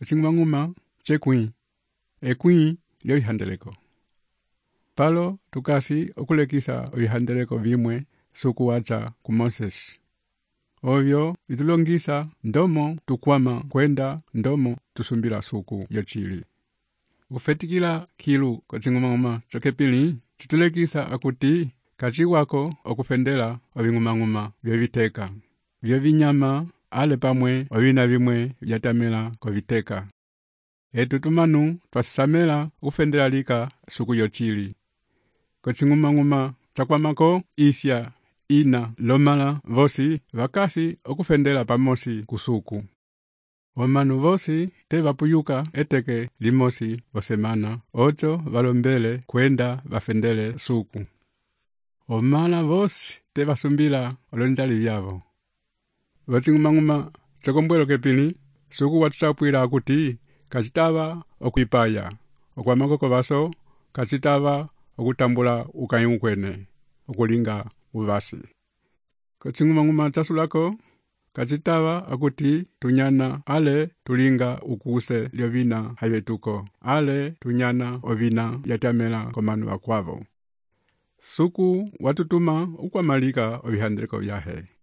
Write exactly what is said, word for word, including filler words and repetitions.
Ocing'umang'uma chekwĩ, ekwĩ lyoihandeleko. Palo tukasi okulekisa oihandeleko vimwe suku wacha ku Moses. Ovyo vitulongisa ndomo tukwama kwenda ndomo tusumbila suku yochili. Ukufetikila kilu kocing'umang'uma chokepili, chitulekisa akuti kachi wako okufendela oving'umang'uma vyoviteka. Vyo vinyama ale pamwe ovina vimwe vyatamela koviteka. Etu tumanu twasisamela ukufendela lika suku yochili. Kocing'umang'uma chakwamako isya ina lomala vosi vakasi okufendela pamosi kusuku. Omanu vosi te vapuyuka eteke limosi vosemana, ocho valombele kwenda vafendele suku. Omala vosi te vasumbila olonjali vyavo. Vocing'umang'uma chokombwelo kepili, suku watusapwila akuti kachitava okwipaya, okwamakoko vaso kachitava okutambula ukayi ukwene, okulinga uvasi. Kocing'umang'uma chasulako kachitava akuti tunyana ale tulinga ukuse lyovina havetuko, ale tunyana ovina yatamela komanu wakwavo. Suku watutuma ukwamalika ovihandeleko vyahe.